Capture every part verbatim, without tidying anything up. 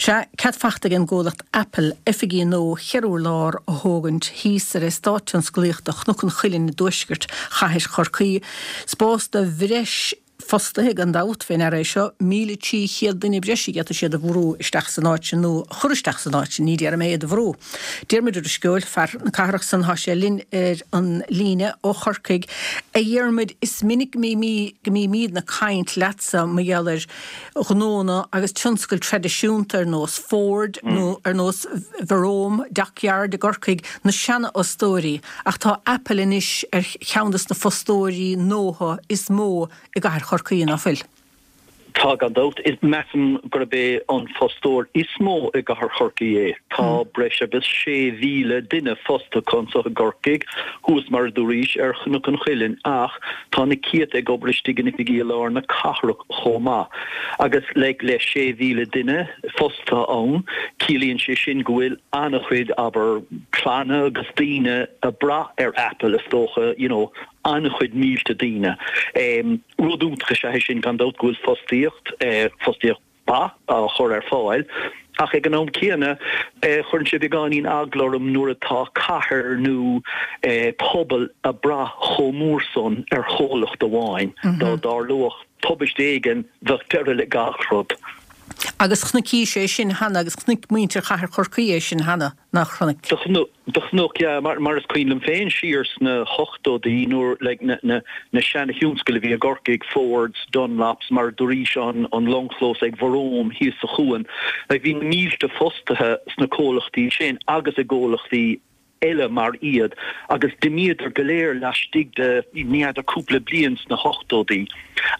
Sea, cead fachta ag an gcomhlacht Apple oifigí nua cheithre urlár a thógaint thíos ar eastát tionsclaíochta Chnoc an Chuilinn i dtuaisceart chathair Chorcaí. Spás do bhreis fostaithe gan dabht fé ndeara é seo, míle trí chéad duine breise a d'fhéadfadh siad a bhrú isteach san áit sin nó a chur isteach san áit sin, ní déarfaidh mé iad a bhrú. Diarmuid Ó Drisceoil, fear na cathrach san, tá sé linn ar an líne ó Chorcaigh. A Dhiarmuid, is minic go mbímídne ag caint leatsa mar gheall ar ghnónna agus tionscail traidisiúnta ar nós Ford nó ar nós Verome Dockyard i gCorcaigh, na seanfhostóirí, ach tá Apple anois ar cheann de na fostóirí nua is mó i gcathair Chorcaí, ná fuil? Tá, gan dabht. Measaim gurb é an fostóir is mó i gcathair Chorcaí é. Tá breis agus sé mhíle duine fostaithe acu anseo i gCorcaigh, thuas mar a dúraís ar Chnoc an Chuilinn, ach tá na céadta ag obair istigh in oifigí i lár na cathrach chomh maith. Agus like le sé mhíle duine fostaithe ann, ciallaíonn sé sin go bhfuil an-chuid, abair, clanna agus daoine ag brath ar Apple is dócha, you know, an-chuid mílte daoine. Rud iontach is ea é sin gan dabht go bhfuil fostaíocht, fostaíocht mhaith á chur ar fáil ach ag an am céanna cuireann sé beagáinín eagla orm nuair atá cathair nó pobal ag brath chomh mór san ar chomhlacht amháin. Dá dtarlódh tubaiste éigin bheadh deireadh le gach rud. Agus chonaicis é sin cheana agus chonaic muintir chathair Chorcaí é sin cheana, nach chonaic? Do chonac, yeah, mar mar is cuimhin liom féin siar sna hochtóidí nuair like na na na seana-thionscail a bhí i gCorcaigh, Fords, Dunlops, mar a dúraís an an longchlós ag Verome thíos sa chuan, like bhí na mílte fostaithe sna comhlachtaí sin agus i gcomhlachtaí eile mar iad agus d'imíodar go léir laistigh de ní fheadar cúpla bliain sna hochtóidí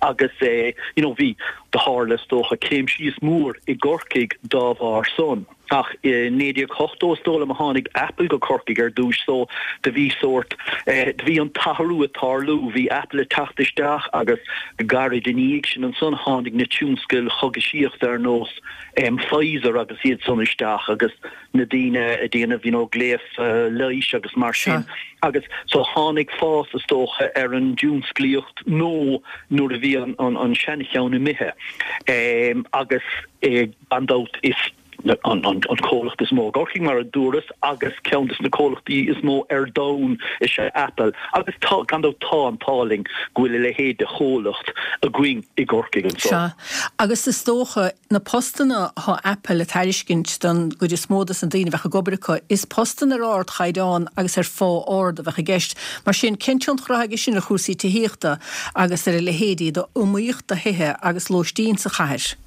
agus eh you know bhí do tharla is dócha céim síos mór i gCorcaigh dá bharr san. Ach i naoi déag ochtó is dóigh liom a tháinig Apple go Corcaigh ar dtúis so do bhí sórt eh do bhí an t-athrú ag tarlú, bhí Apple ag teacht isteach agus go gairid ina dhiaidh sin ansan tháinig na tionscail chógaisíochta ar nós em Pfizer agus iad san isteach agus na daoine ag déanamh you know gléas leighis agus mar sin agus so tháinig fás is dócha ar an dtionsclaíocht nua nuair a bhí an an an seancheann imithe agus gan dabht is an an an comhlacht is mó i gCorcaigh mar a dúras agus ceann de na comhlachtaí is mó ar domhan is ea Apple agus tá gan dabht tá an t-ádh linn go bhfuil a leithéid de chomhlacht againn i gCorcaigh anseo. Sea, agus is dócha na postanna atá Apple ag tairiscint don gcuid is mó dos na daoine a bheadh ag obair acu, is postanna ar ardchaighdeán agus ar phá ard a bheadh i gceist. Mar sin, cén tionchar atá aige sin ar chúrsaí tithíochta agus ar a leithéidí d'iomaíocht do thithe agus lóistín sa chathair?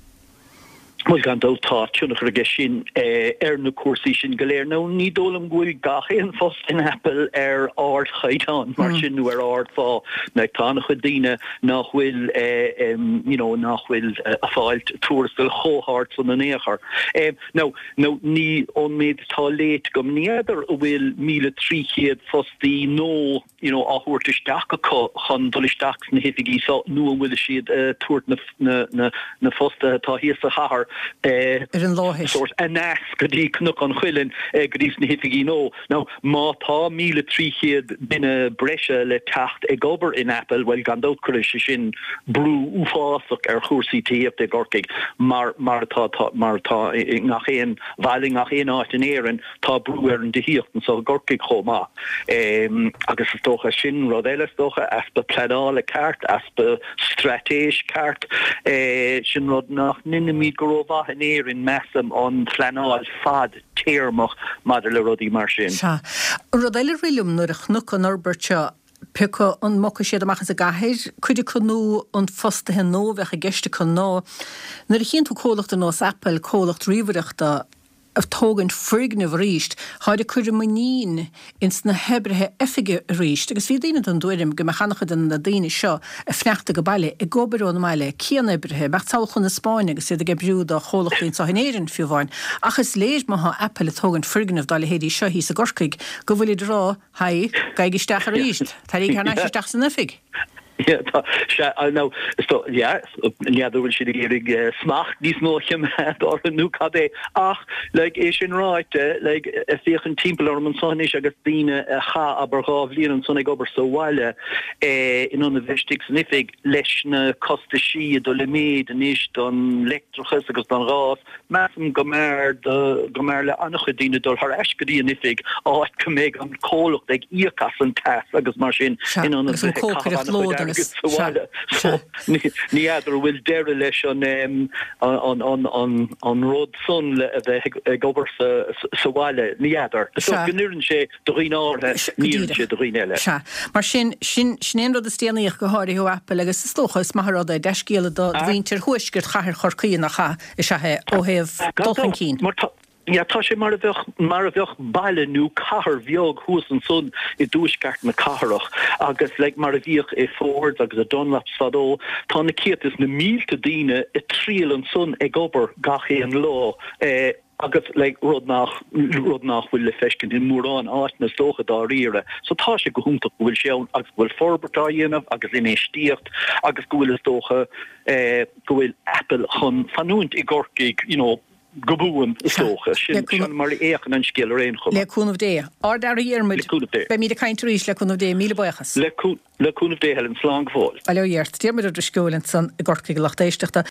Bhuel, gan dabht tá tionchar aige sin ar na cúrsaí sin go léir. Now, ní dóigh liom go bhfuil gach aon phost in Apple ar ardchaighdeán mar sin nó ar ardphá. Like, tá an-chuid daoine nach bhfuil you know nach bhfuil ag fáil tuarastal chomh hard san in aon chor. Now, now ní ón méid atá léite agam, ní fheadar an bhfuil míle trí chéad fostaí nó you know á thabhairt isteach acu chun dul isteach sna hoifigí so nó an bhfuil siad ag tabhairt na na na na fostaithe atá thíos sa chathair ar an láthair. sórt aneas go dtí Cnoc an Chuilinn go dtí sna hoifigí nua. Now má tá míle trí chéad duine breise le teacht ag obair in Apple, bhuel gan dabht cuirfidh sé sin brú uafásach ar chúrsaí tithíochta i gCorcaigh mar mar atá tá mar atá i ngach aon bhaile i ngach aon áit in Éirinn tá brú ar an dtithíocht anseo i gCorcaigh chomh maith. Agus is dócha sin rud eile is dócha, easpa pleanála ceart, easpa straitéis ceart, sin rud nach ndeinimid go rómhaith in Éirinn measaim, an phleanáil fad-téarmach maidir le rudaí mar sin. Sea. Rud eile a rith liom nuair a chonac an fhorbairt seo, pé acu an mbogfaidh siad amach as an gcathair, cuid acu nó an fostaithe nua a bheadh i gceist acu ná nuair a chíonn tú comhlacht ar nós Apple, comhlacht ríomhaireachta, ag tógaint foirgneamh arís, táid ag cur a muinín ins na hoibrithe oifige arís agus bhí daoine den dtuairim go mbeadh an-chuid de na daoine seo ag fanacht ag baile, ag obair ón mbaile, cianoibrithe, mbeadh samhail chun na Spáinne agus iad ag oibriú do chomhlachtaí anseo in Éirinn fiú amháin. Ach is léir má thá Apple ag tógaint foirgneamh dá leithéidí seo thíos i gCorcaigh go bhfuilid ag rá, Haigh, gabhaigí isteach arís, taraigí thar n-ais isteach san oifig. Yeah, tá sé nó yeah, n'fheadar bhfuil siad ag iarraidh smacht níos mó a choimeád orthu nó cad é ach like, é sin ráite like, ag féachaint timpeall orm ansan anois agus daoine a chaith abair dhá bhliain ansan ag obair sa bhaile eh, in ionad bheith istigh san oifig leis na costaisí ag dul i méid anois don leictreachas agus don ghás Measaim go mb'fhearr go mb'fhearr le an-chuid daoine dul thar ais go dtí an oifig, áit go mbeidh an comhlacht ag íoc as an teas agus mar sin in ionad bheith ag caitheamh an-chuid airgid sa bhaile. So ní fheadar an bhfuil deireadh leis an an rud san le a bheith ag obair sa bhaile. Ní fheadar. Is dócha go n-oireann sé do dhaoine áirithe, ní oireann sé do dhaoine eile. Sea. Mar sin, sin é an rud is déanaí ach go háirithe ó Apple agus is dócha is maith an rud é dea-scéala do mhuintir thuaisceart chathair Chorcaí nach ea? Is ea é, ó thaobh dul chun cinn. Mar tá, yeah, tá sé mar a bheadh, mar a bheadh baile nó cathair bheag thuas ansan i dtuaisceart na cathrach agus like mar a bhíodh i Fords agus i Dunlops fadó, tá na céadta is na mílte daoine ag triall ansan ag obair gach aon lá. Eh, agus like rud nach, rud nach bhfuil le feiscint i mórán áiteanna is dócha dáiríre. So tá sé go hiontach go bhfuil sé ann agus go bhfuil forbairt á dhéanamh agus infheistíocht agus go bhfuil is dócha eh go bhfuil Apple chun fanúint i gCorcaigh you know go buan is dócha. Sin, sin mar a fhéachann an scéal ar aon chuma. Le cúnamh Dé. Ard-fhear a Dhiarmuid. Le cúnamh Dé. Beimid ag caint arís le cúnamh Dé. Míle buíochas. Le, le cúnamh Dé Helen. Slán go fóill. Bail ó Dhia ort. Diarmuid Ó Drisceoil ansan i gCorcaigh a lucht éisteachta.